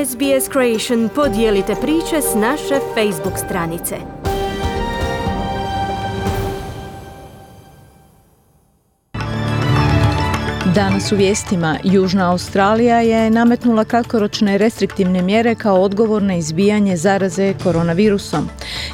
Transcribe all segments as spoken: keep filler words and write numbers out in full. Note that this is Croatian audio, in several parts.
S B S Creation podijelite priče s naše Facebook stranice. Danas u vijestima Južna Australija je nametnula kratkoročne restriktivne mjere kao odgovor na izbijanje zaraze koronavirusom.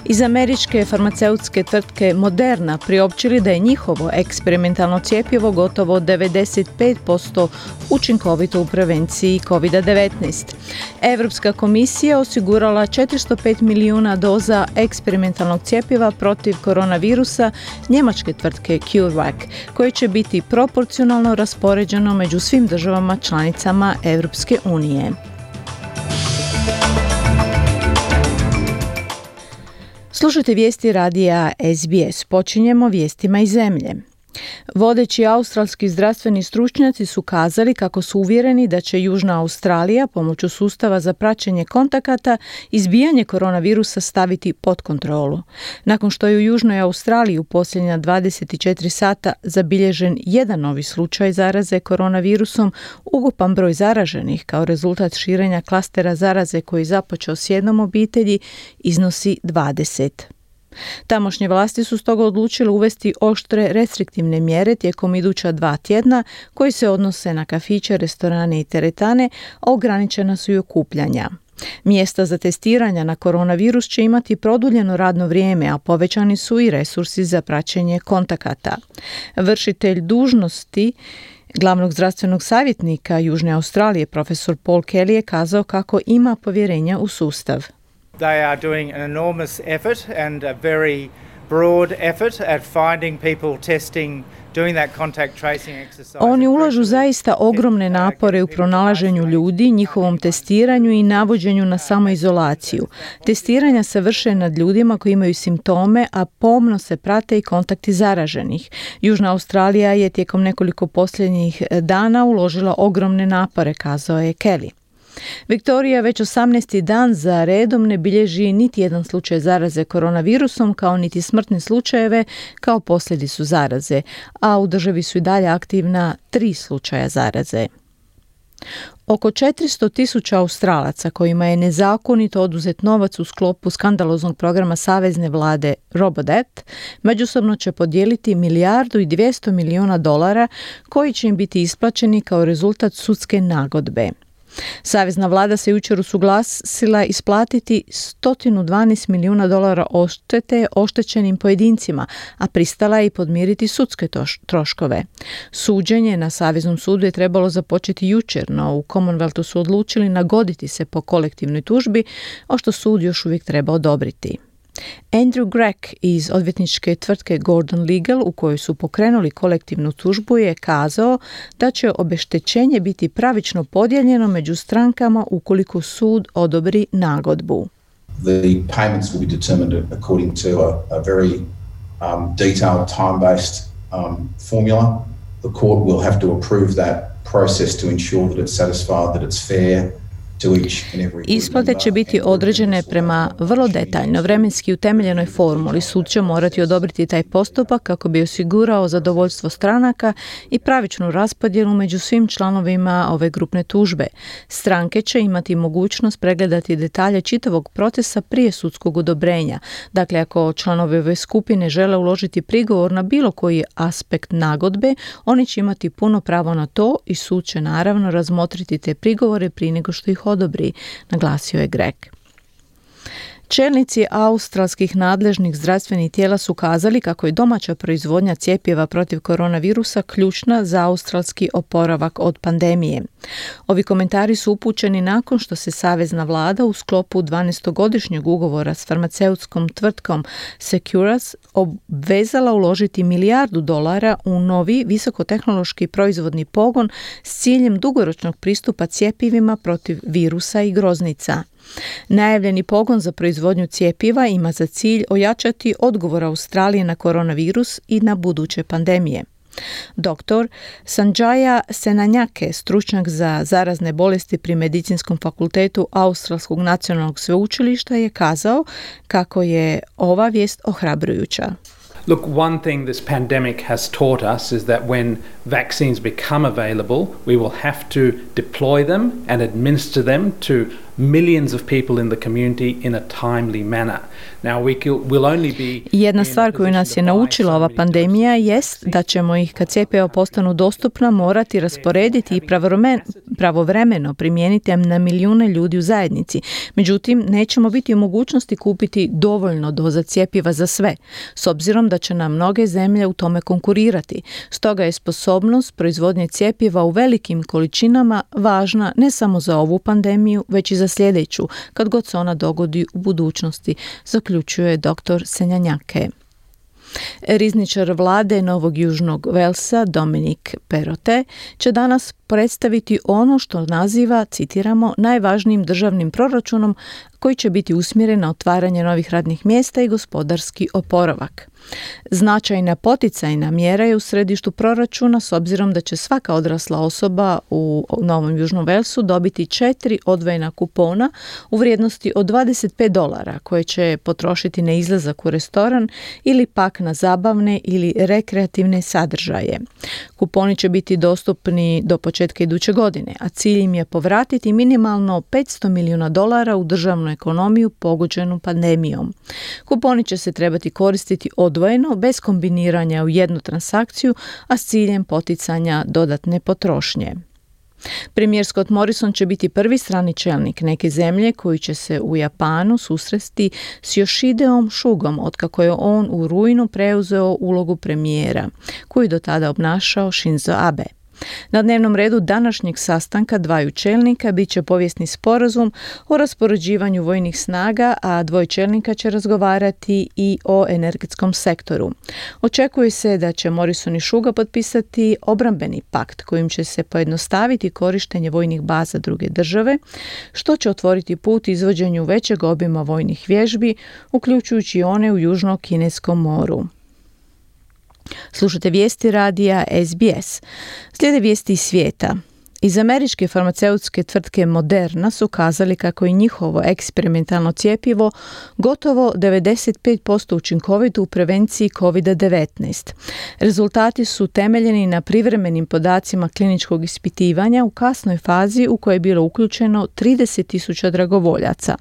Iz američke farmaceutske tvrtke Moderna priopćili da je njihovo eksperimentalno cjepivo gotovo devedeset pet posto učinkovito u prevenciji kovid devetnaest. Europska komisija osigurala četiristo pet milijuna doza eksperimentalnog cjepiva protiv koronavirusa njemačke tvrtke CureVac, koje će biti proporcionalno raspoređeno među svim državama članicama Europske unije. Slušajte vijesti radija S B S. Počinjemo vijestima iz zemlje. Vodeći australski zdravstveni stručnjaci su kazali kako su uvjereni da će Južna Australija pomoću sustava za praćenje kontakata izbijanje koronavirusa staviti pod kontrolu. Nakon što je u Južnoj Australiji u posljednja dvadeset četiri sata zabilježen jedan novi slučaj zaraze koronavirusom, ukupan broj zaraženih kao rezultat širenja klastera zaraze koji započeo s jednom obitelji iznosi dvadeset. Tamošnje vlasti su stoga odlučile uvesti oštre restriktivne mjere tijekom iduća dva tjedna koji se odnose na kafiće, restorane i teretane, a ograničena su i okupljanja. Mjesta za testiranja na koronavirus će imati produljeno radno vrijeme, a povećani su i resursi za praćenje kontakata. Vršitelj dužnosti glavnog zdravstvenog savjetnika Južne Australije, profesor Paul Kelly, je kazao kako ima povjerenja u sustav. They are doing an enormous effort and a very broad effort at finding people, testing, doing that contact tracing exercise. Oni ulažu zaista ogromne napore u pronalaženju ljudi, njihovom testiranju i navođenju na samoizolaciju. Testiranja se vrše nad ljudima koji imaju simptome, a pomno se prate i kontakti zaraženih. Južna Australija je tijekom nekoliko posljednjih dana uložila ogromne napore, kazao je Kelly. Viktorija već osamnaesti dan za redom ne bilježi niti jedan slučaj zaraze koronavirusom, kao niti smrtne slučajeve kao posljedicu zaraze, a u državi su i dalje aktivna tri slučaja zaraze. Oko četiristo tisuća Australaca kojima je nezakonito oduzet novac u sklopu skandaloznog programa savezne vlade Robodebt međusobno će podijeliti milijardu i dvjesto milijuna dolara koji će im biti isplaćeni kao rezultat sudske nagodbe. Savezna vlada se jučer usuglasila isplatiti sto dvanaest milijuna dolara odštete oštećenim pojedincima, a pristala je i podmiriti sudske troškove. Suđenje na Saveznom sudu je trebalo započeti jučer, no u Commonwealthu su odlučili nagoditi se po kolektivnoj tužbi, a što sud još uvijek treba odobriti. Andrew Gregg iz odvjetničke tvrtke Gordon Legal, u kojoj su pokrenuli kolektivnu tužbu, je kazao da će obeštećenje biti pravično podijeljeno među strankama ukoliko sud odobri nagodbu. The payments will be determined according to a, a very um, detailed time-based um, formula. The court will have to approve that process to ensure that it's satisfied, that it's fair. Isplate će biti određene prema vrlo detaljno vremenski utemeljenoj formuli. Sud će morati odobriti taj postupak kako bi osigurao zadovoljstvo stranaka i pravičnu raspodjelu među svim članovima ove grupne tužbe. Stranke će imati mogućnost pregledati detalje čitavog procesa prije sudskog odobrenja. Dakle, ako članovi ove skupine žele uložiti prigovor na bilo koji aspekt nagodbe, oni će imati puno pravo na to i sud će naravno razmotriti te prigovore prije nego što ih odobri, naglasio je Gregg. Čelnici australskih nadležnih zdravstvenih tijela su kazali kako je domaća proizvodnja cjepiva protiv koronavirusa ključna za australski oporavak od pandemije. Ovi komentari su upućeni nakon što se savezna vlada u sklopu dvanaestogodišnjeg ugovora s farmaceutskom tvrtkom Seqirus obvezala uložiti milijardu dolara u novi visokotehnološki proizvodni pogon s ciljem dugoročnog pristupa cjepivima protiv virusa i groznica. Najavljeni pogon za proizvodnju cjepiva ima za cilj ojačati odgovor Australije na koronavirus i na buduće pandemije. Doktor Sanjaya Senanjake, stručnjak za zarazne bolesti pri Medicinskom fakultetu Australskog nacionalnog sveučilišta, je kazao kako je ova vijest ohrabrujuća. Look, one thing this pandemic has taught us is that when vaccines become available, we will have to deploy them and administer them to millions of people in the community in a timely manner. Now we will only be Jedna stvar koju nas je naučila ova pandemija jest da ćemo ih kad cjepiva postanu dostupna morati rasporediti i pravovremeno primijeniti na milijune ljudi u zajednici. Međutim, nećemo biti u mogućnosti kupiti dovoljno doza cjepiva za sve, s obzirom da će nam mnoge zemlje u tome konkurirati. Stoga je sposobnost proizvodnje cjepiva u velikim količinama važna ne samo za ovu pandemiju, već i za sljedeću, kad god se ona dogodi u budućnosti, zaključuje doktor Senjanjake. Rizničar vlade Novog Južnog Velsa, Dominik Perrottet, će danas predstaviti ono što naziva, citiramo, najvažnijim državnim proračunom koji će biti usmjeren na otvaranje novih radnih mjesta i gospodarski oporavak. Značajna poticajna mjera je u središtu proračuna s obzirom da će svaka odrasla osoba u Novom Južnom Velsu dobiti četiri odvojena kupona u vrijednosti od dvadeset pet dolara koje će potrošiti na izlazak u restoran ili pak na zabavne ili rekreativne sadržaje. Kuponi će biti dostupni do početka iduće godine, a cilj im je povratiti minimalno petsto milijuna dolara u državnu ekonomiju pogođenu pandemijom. Kuponi će se trebati koristiti odvojeno, bez kombiniranja u jednu transakciju, a s ciljem poticanja dodatne potrošnje. Premijer Scott Morrison će biti prvi strani čelnik neke zemlje koji će se u Japanu susresti s Yoshideom Sugom otkako je on u rujnu preuzeo ulogu premijera, koju do tada obnašao Shinzo Abe. Na dnevnom redu današnjeg sastanka dvaju čelnika bit će povijesni sporazum o raspoređivanju vojnih snaga, a dvoje čelnika će razgovarati i o energetskom sektoru. Očekuje se da će Morrison i Suga potpisati obrambeni pakt kojim će se pojednostaviti korištenje vojnih baza druge države, što će otvoriti put izvođenju većeg obima vojnih vježbi, uključujući one u Južno-Kineskom moru. Slušate vijesti radija S B S. Slijede vijesti iz svijeta. Iz američke farmaceutske tvrtke Moderna su kazali kako je njihovo eksperimentalno cjepivo gotovo devedeset pet posto učinkovito u prevenciji kovid devetnaest. Rezultati su temeljeni na privremenim podacima kliničkog ispitivanja u kasnoj fazi u kojoj je bilo uključeno trideset tisuća dragovoljaca.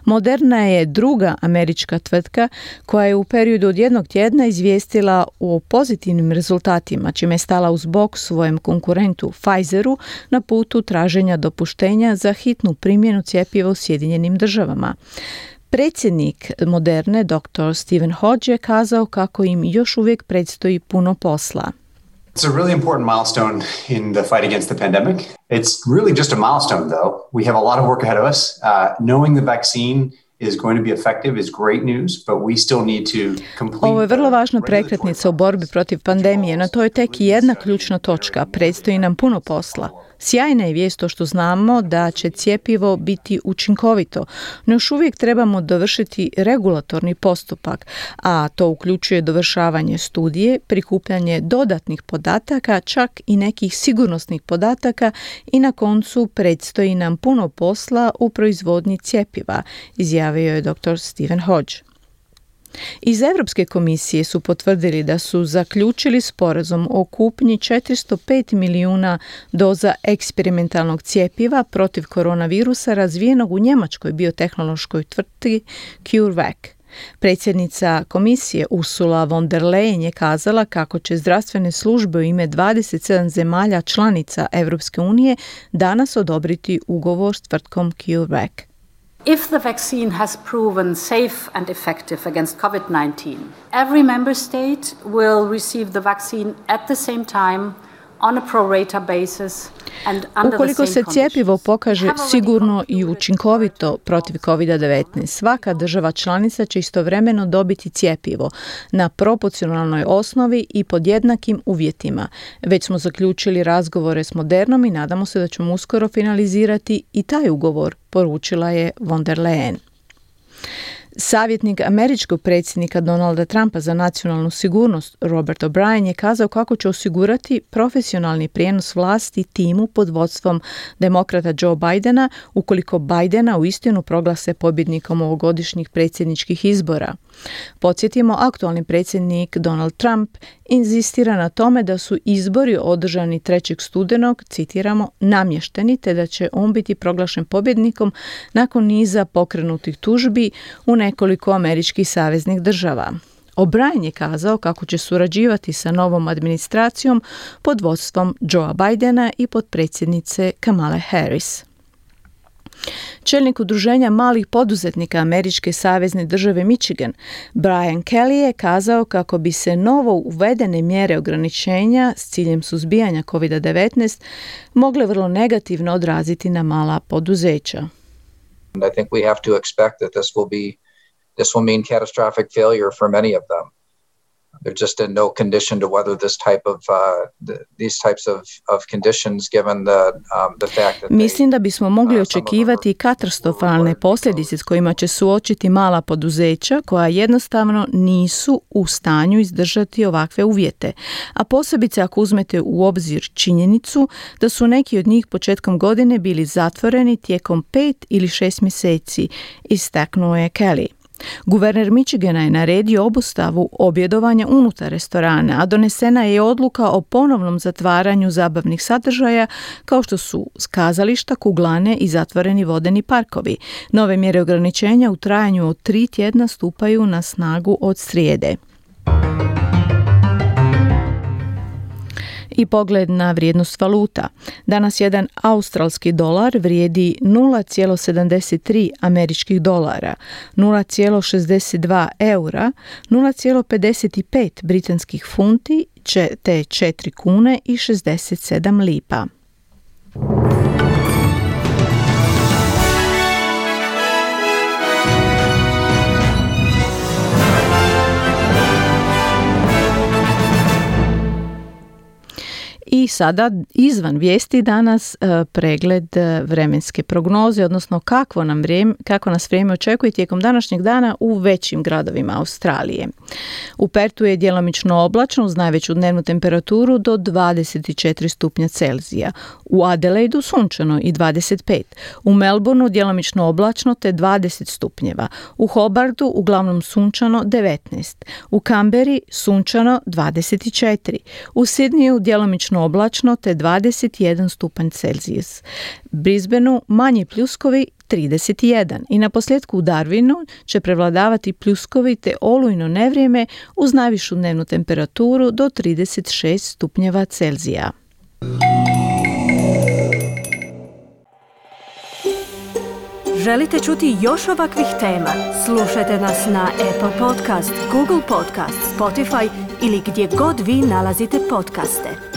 Moderna je druga američka tvrtka koja je u periodu od jednog tjedna izvijestila o pozitivnim rezultatima, čime je stala uz bok svojem konkurentu Pfizeru na putu traženja dopuštenja za hitnu primjenu cjepiva u Sjedinjenim državama. Predsjednik Moderne, doktor Stephen Hodge, je kazao kako im još uvijek predstoji puno posla. It's a really important milestone in the fight against the pandemic. It's really just a milestone, though. We have a lot of work ahead of us. Uh, knowing the vaccine is going to be effective is great news, but we still need to complete. Ovo je vrlo važna prekretnica u borbi protiv pandemije, no to je tek jedna ključna točka. Predstoji nam puno posla. Sjajna je vijest to što znamo da će cjepivo biti učinkovito, no još uvijek trebamo dovršiti regulatorni postupak, a to uključuje dovršavanje studije, prikupljanje dodatnih podataka, čak i nekih sigurnosnih podataka i na koncu predstoji nam puno posla u proizvodnji cjepiva, izjavio je doktor Stephen Hodge. Iz Europske komisije su potvrdili da su zaključili sporazum o kupnji četiristo pet milijuna doza eksperimentalnog cjepiva protiv koronavirusa razvijenog u njemačkoj biotehnološkoj tvrtki CureVac. Predsjednica komisije Ursula von der Leyen je kazala kako će zdravstvene službe u ime dvadeset sedam zemalja članica Europske unije danas odobriti ugovor s tvrtkom CureVac. If the vaccine has proven safe and effective against covid nineteen, every member state will receive the vaccine at the same time on a pro rata basis and under Ukoliko the same se cjepivo pokaže conditions. sigurno i učinkovito protiv kovid devetnaest, svaka država članica će istovremeno dobiti cjepivo na proporcionalnoj osnovi i pod jednakim uvjetima. Već smo zaključili razgovore s Modernom i nadamo se da ćemo uskoro finalizirati i taj ugovor, poručila je von der Leyen. Savjetnik američkog predsjednika Donalda Trumpa za nacionalnu sigurnost Robert O'Brien je kazao kako će osigurati profesionalni prijenos vlasti timu pod vodstvom demokrata Joe Bidena ukoliko Bidena uistinu proglase pobjednikom ovogodišnjih predsjedničkih izbora. Podsjetimo, aktualni predsjednik Donald Trump inzistira na tome da su izbori održani trećeg studenog, citiramo, namješteni, te da će on biti proglašen pobjednikom nakon niza pokrenutih tužbi u nekoliko američkih saveznih država. O'Brien je kazao kako će surađivati sa novom administracijom pod vodstvom Joea Bidena i potpredsjednice Kamale Harris. Čelnik udruženja malih poduzetnika američke savezne države Michigan, Brian Kelly, je kazao kako bi se novo uvedene mjere ograničenja s ciljem suzbijanja kovid devetnaest mogle vrlo negativno odraziti na mala poduzeća. I think we have to expect that this will be this will mean catastrophic failure for many of them. They're just in no condition to weather this type of uh, the, these types of, of conditions given the um, the fact that Mislim da bismo mogli očekivati katastrofalne posljedice s kojima će suočiti mala poduzeća koja jednostavno nisu u stanju izdržati ovakve uvjete, a posebice ako uzmete u obzir činjenicu da su neki od njih početkom godine bili zatvoreni tijekom pet ili šest mjeseci, istaknuo je Kelly. Guverner Michigana je naredio obustavu objedovanja unutar restorana, a donesena je odluka o ponovnom zatvaranju zabavnih sadržaja kao što su kazališta, kuglane i zatvoreni vodeni parkovi. Nove mjere ograničenja u trajanju od tri tjedna stupaju na snagu od srijede. I pogled na vrijednost valuta. Danas jedan australski dolar vrijedi nula zarez sedamdeset tri američkih dolara, nula zarez šezdeset dva eura, nula zarez pedeset pet britanskih funti te četiri kune i šezdeset sedam lipa. I sada izvan vijesti danas pregled vremenske prognoze, odnosno kako, nam vrijeme, kako nas vrijeme očekuje tijekom današnjeg dana u većim gradovima Australije. U Pertu je djelomično oblačno uz najveću dnevnu temperaturu do dvadeset četiri stupnja Celzija. U Adelaidu sunčano i dvadeset pet. U Melbourneu djelomično oblačno te dvadeset stupnjeva. U Hobartu uglavnom sunčano devetnaest. U Kamberi sunčano dvadeset četiri. U Sydneyu djelomično oblačno te dvadeset jedan stupanj Celzijus. Brisbaneu manji pljuskovi trideset jedan i na posljedku u Darwinu će prevladavati pljuskovi te olujno nevrijeme uz najvišu dnevnu temperaturu do trideset šest stupnjeva Celzija. Želite čuti još ovakvih tema? Slušajte nas na Apple Podcast, Google Podcast, Spotify ili gdje god vi nalazite podcaste.